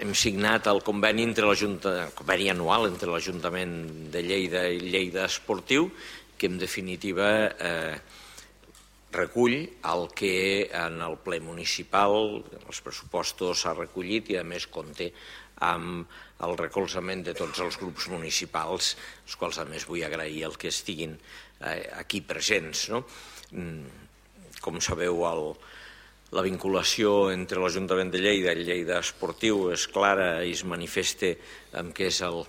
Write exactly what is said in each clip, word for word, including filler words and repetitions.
hem signat el conveni, entre el conveni anual entre l'Ajuntament de Lleida i Lleida Esportiu, que en definitiva eh, recull el que en el ple municipal, els pressupostos s'ha recollit i a més compta amb el recolzament de tots els grups municipals, els quals a més vull agrair el que estiguin eh, aquí presents. No? Com sabeu, el, la vinculació entre l'Ajuntament de Lleida i Lleida Esportiu és clara i es manifesta en què és el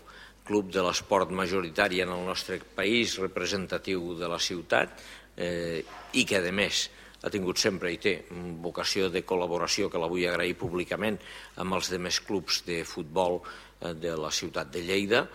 club de l'esport majoritari en el nostre país, representatiu de la ciutat, eh, i que, a més, ha tingut sempre i té vocació de col·laboració, que la vull agrair públicament, amb els altres clubs de futbol de la ciutat de Lleida,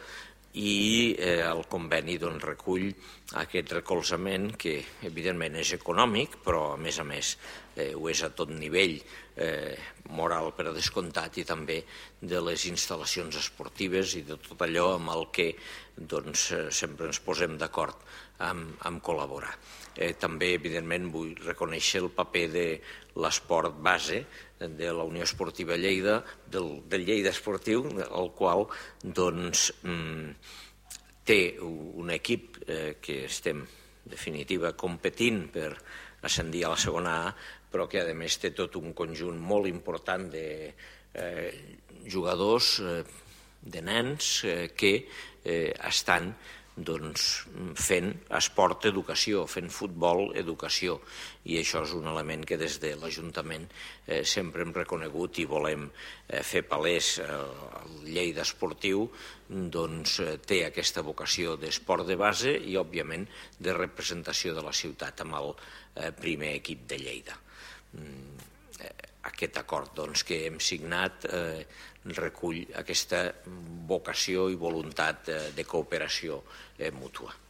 i eh, el conveni doncs, recull aquest recolzament que evidentment és econòmic, però a més a més eh, ho és a tot nivell, eh, moral per descomptat, i també de les instal·lacions esportives i de tot allò amb el que doncs, sempre ens posem d'acord amb, amb col·laborar. Eh, també, evidentment, vull reconèixer el paper de l'esport base de la Unió Esportiva Lleida, del, del Lleida Esportiu, el qual doncs, té un equip eh, que estem, en definitiva, competint per ascendir a la segona A, però que, a més, té tot un conjunt molt important de eh, jugadors, eh, de nens, eh, que eh, estan doncs, fent esport educació, fent futbol educació, i això és un element que des de l'Ajuntament eh, sempre hem reconegut i volem eh, fer palès. El Lleida Esportiu doncs, té aquesta vocació d'esport de base i, òbviament, de representació de la ciutat amb el eh, primer equip de Lleida. Aquest acord doncs, que hem signat eh, recull aquesta vocació i voluntat de cooperació mútua.